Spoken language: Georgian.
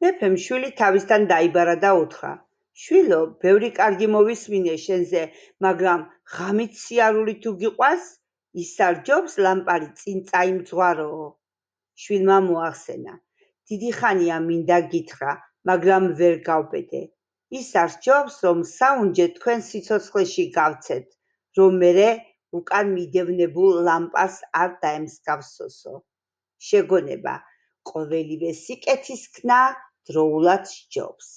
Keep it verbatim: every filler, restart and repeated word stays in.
მეფემ შვილი თავისთან დაიბარა და უთხრა: შვილო, ბევრი კარგი მოვისმინე შენზე, მაგრამ ღამით სიარული თუ გიყვას, ის სარჯობს ლამპარი წინ წაიმძღვაროო. შვილმა მოახსენა: დიდი ხანია მინდა გითხრა, მაგრამ ვერ გავბედე. ის არსჯობს, რომ საუნჯე თქვენ სიცოცხლეში გავცეთ, რომ მერე უკან მიდევნებულ ლამპას არ დაემსგავსოსო. შეგონება, ყოველივე სიკეთის ქნა დროულად სჯობს.